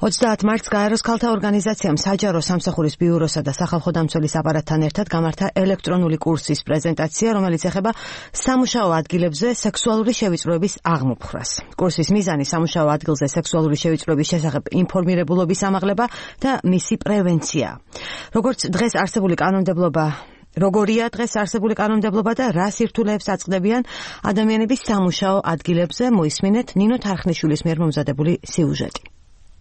30 მარტს გაეროს ქალთა ორგანიზაციამ საჯარო სამსახურის ბიუროსა და სახალხო დამცველის აპარატთან ერთად გამართა ელექტრონული კურსის პრეზენტაცია, რომელიც ეხება სამუშაო ადგილებზე სექსუალური შევიწროების აღმოფხვრას. კურსის მიზანი სამუშაო ადგილზე სექსუალური შევიწროების შესახებ ინფორმირებულობის ამაღლება და მისი პრევენცია. Როგორია დღეს არსებული კანონმდებლობა და რა სირთულეებს აწყდებიან ადამიანების სამუშაო ადგილებზე, მოისმინეთ ნინო თარხნიშვილის მიერ მომზადებული სიუჟეტი.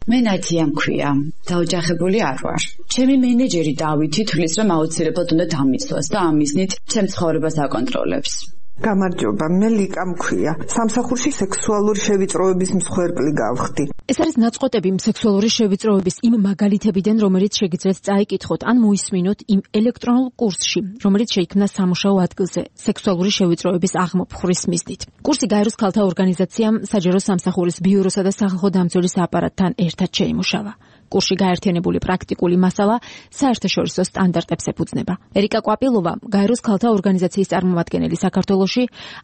მე ნათია მქვია, დაოჯახებული არ ვარ. ჩემი მენეჯერი დავითი თვლის, რომ აუცილებლად უნდა დამიცვას და ამ მიზნით ჩემს ცხოვრებას აკონტროლებს. გამარჯობა, მე ლიკა მქვია. სამსახურში სექსუალური შევიწროების მსხვერპლი გავხდი. ეს არის ნაწყვეტები სექსუალური შევიწროების იმ მაგალითებიდან, რომელიც შეგიძლიათ წაიკითხოთ ან მოისმინოთ იმ ელექტრონულ კურსში, რომელიც შეიქმნა სამუშაო ადგილზე სექსუალური შევიწროების აღმოფხვრის მიზნით. კურსი გაეროს ქალთა ორგანიზაციამ საჯარო სამსახურის ბიუროსა და სახალხო დამცველის აპარატთან ერთად შეიმუშავა. კურსში გაერთიანებული პრაქტიკული მასალა საერთაშორისო სტანდარტებს ეფუძნება. ერიკა კვაპილოვა, გაეროს ქალთა ორგანიზაციის წარმომადგენელი საქართველოში,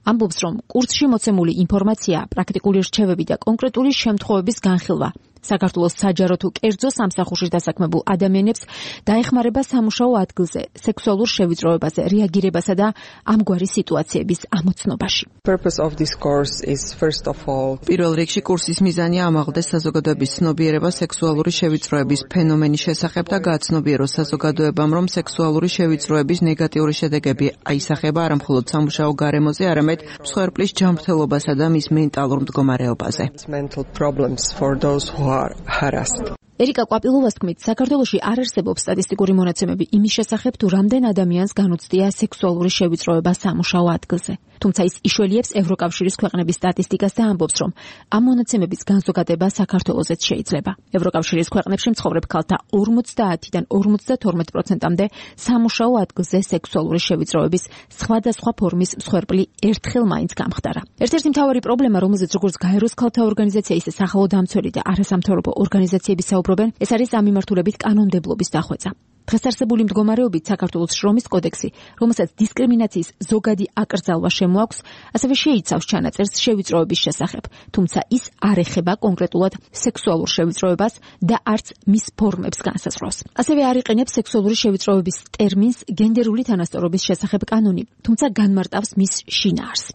ამბობს, რომ კურსში მოცემული ინფორმაცია, პრაქტიკული რჩევები და კონკრეტული შემთხვევების განხილვა საქართველოს საჯარო თუ კერძო სამსახურში დასაქმებულ ადამიანებს დაეხმარება სამუშაო ადგილზე სექსუალურ შევიწროებაზე რეაგირებასა და ამგვარი სიტუაციების ამოცნობაში. პირველ რიგში კურსის მიზანია ამაღლდეს საზოგადოების ცნობიერება სექსუალური შევიწროების ფენომენის შესახებ და გააცნობიეროს საზოგადოებამ, რომ სექსუალური შევიწროების ნეგატიური შედეგები აისახება არა მხოლოდ სამუშაო გარემოზე, არამედ მსხვერპლის ჯანმრთელობასა და მის მენტალურ მდგომარეობაზე. ერიკა კვაპილოვას თქმით, საქართველოში არ არსებობს სტატისტიკური მონაცემები იმის შესახებ, თუ რამდენ ადამიანს განუცდია სექსუალური შევიწროება სამუშაო ადგილზე. თუმცა ის იშველიებს ევროკავშირის ქვეყნების სტატისტიკას და ამბობს, რომ ამ მონაცემების განზოგადება საქართველოშიც შეიძლება. ევროკავშირის ქვეყნებში მცხოვრებ ქალთა 50-დან 52%-მდე სამუშაო ადგილზე სექსუალური შევიწროების სხვადასხვა ფორმის მსხვერპლი ერთხელ მაინც გამხდარა. ერთ-ერთი მთავარი პრობლემა, რომელზეც როგორც გაეროს ქალთა ორგანიზაცია, ისე სახალხო დამცველი და არასამთავრობო ორგანიზაციების საუბრობენ, ეს არის ამ მიმართულებით კანონმდებლობის დახვეწა. დღეს არსებული მდგომარეობით საქართველოს შრომის კოდექსი, რომელსაც დისკრიმინაციის ზოგადი აკრძალვა შემოაქვს, ასევე შეიცავს ჩანაწერს შევიწროების შესახებ, თუმცა ის არ ეხება კონკრეტულად სექსუალურ შევიწროებას და არც მის ფორმებს განსაზღვრავს. ასევე არ იყენებს სექსუალური შევიწროების ტერმინს გენდერული თანასწორობის შესახებ კანონი, თუმცა განმარტავს მის შინაარსს.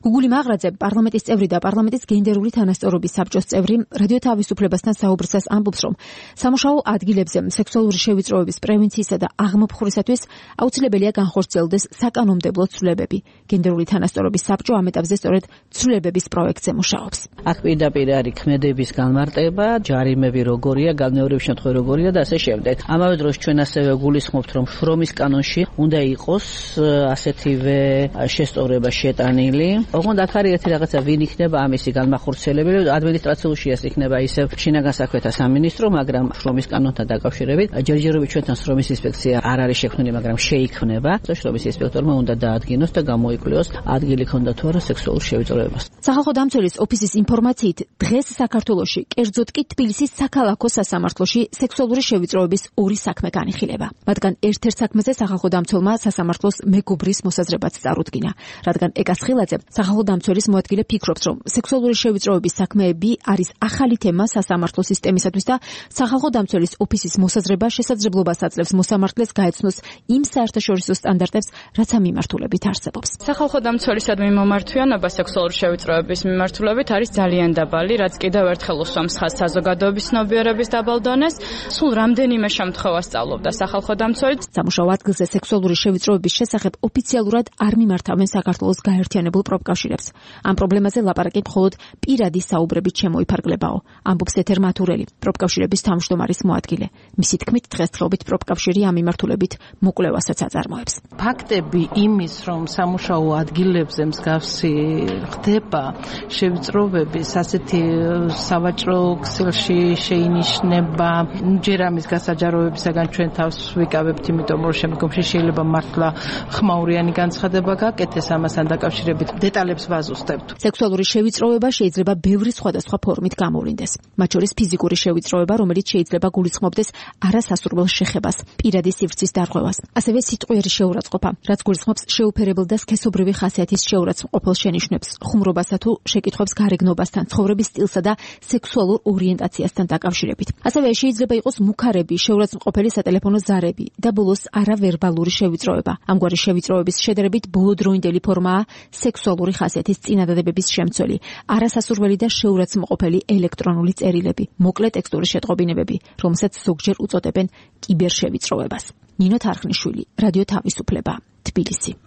გუგული მაღრაძე, პარლამენტის წევრი და პარლამენტის გენდერული თანასწორობის საბჭოს წევრი, რადიო თავისუფლებასთან საუბრისას ამბობს, რომ სამუშაო ადგილებზე სექსუალური შევიწროების პრევენციისა და აღმოფხვრისათვის აუცილებელია განხორციელდეს საკანონმდებლო ცვლილებები. გენდერული თანასწორობის საბჭო ამ ეტაპზე სწორედ ცვლილებების პროექტზე მუშაობს. აქ პირდაპირ არის ქმედების განმარტება, ჯარიმები როგორია, განმეორების შემთხვევა როგორია და ასე შემდეგ. ამავე დროს ჩვენ ასევე გულისხმობთ, რომ შრომის კანონში უნდა იყოს ასეთივე შესწორება შეტანილი. ოღონდ აქ არის ერთი რაღაცა, ვინ იქნება ამისი განმახორციელებელი, ადმინისტრაციაში ეს იქნება ისევ შინაგან საქმეთა სამინისტრო, მაგრამ შრომის კანონთან დაკავშირებით ჯერჯერობით ჩვენთან შრომის ინსპექცია არ არის შექმნილი, მაგრამ შეიქმნება. შრომის ინსპექტორმა უნდა დაადგინოს და გამოიკვლიოს ადგილი ქონდა თუ არა სექსუალურ შევიწროებას. სახალხო დამცველის ოფისის ინფორმაციით, დღეს საქართველოში, კერძოდ კი თბილისის საქალაქო სასამართლოში სექსუალური შევიწროების ორი საქმე განიხილება. მათგან ერთ-ერთ საქმეზე სახალხო დამცველმა სასამართლოს მეგობრის მოსაზრებაც წარუდგინა, რადგან ეკა სხილაძე, სახალხო დამცველის მოადგილე ფიქრობს, რომ სექსუალური შევიწროების საქმეები არის ახალი თემა სასამართლო სისტემისათვის და სახალხო დამცველის ოფისის მოსაზრება შესაძლებლობას აძლევს მოსამართლეს გაეცნოს იმ საერთაშორისო სტანდარტებს, რაც ამ მიმართულებით არსებობს. სახალხო დამცველისადმი მომართვიანობა სექსუალური შევიწროების მიმართულებით არის ძალიან დაბალი, რაც კიდევ ერთხელ უსვამს ხაზს საზოგადოების ცნობიერების დაბალ დონეს. სულ რამდენიმე შემთხვევა სწავლობდა სახალხო დამცველი. სამუშაო ადგილზე სექსუალური შევიწროების შესახებ ოფიციალურად არ მიმართავენ საქართველოს გაერთიანებულ პროფკავშირებს. ამ პრობლემაზე ლაპარაკი მხოლოდ პირადი საუბრებით შემოიფარგლებაო, ამბობს ეთერ მათურელი, პროფკავშირების თავმჯდომარის მოადგილე. მისი თქმით, დღესდღეობით პროფკავშირი ამ მიმართულებით მოკვლევასაც აწარმოებს. ფაქტები იმის, რომ სამუშაო ადგილებზე მსგავსი ხდება შევიწროებების, ასეთი სავაჭრო ქსელში შეინიშნება, ჯერ ამის გასაჯაროებისაგან ჩვენ თავს ვიკავებთ, იმიტომ რომ შემდგომში შეიძლება მართლა ხმაურიანი განცხადება გაკეთდეს ამასთან დაკავშირებით. დეტალებს ვაზუსტებთ. სექსუალური შევიწროება შეიძლება ბევრი სხვადასხვა ფორმით გამოვლინდეს. მათ შორის ფიზიკური შევიწროება, რომელიც შეიძლება გულისხმობდეს არასასურველ შეხებას შეგროვებას, პირადი სივრცის დარღვევას, ასევე სიტყვიერი შეურაცხყოფა, რაც გულისხმობს შეუფერებელ და სქესობრივი ხასიათის შეურაცხმყოფელ შენიშვნებს, ხუმრობასა თუ შეკითხვებს გარეგნობასთან, ცხოვრების სტილსა და სექსუალურ ორიენტაციასთან დაკავშირებით. ასევე შეიძლება იყოს მუქარები, შეურაცხმყოფელი სატელეფონო ზარები და ბოლოს არავერბალური შევიწროება. ამგვარი შევიწროების შედარებით ბოლოდროინდელი ფორმაა სექსუალური ხასიათის წინადადებების შემცველი, არასასურველი და შეურაცხმყოფელი ელექტრონული წერილები, მოკლე ტექსტური შეტყობინებები, რომელსაც ზოგჯერ უწოდებენ კიბერშევიწროებას. ნინო თარხნიშვილი, რადიო თავისუფლება, თბილისი.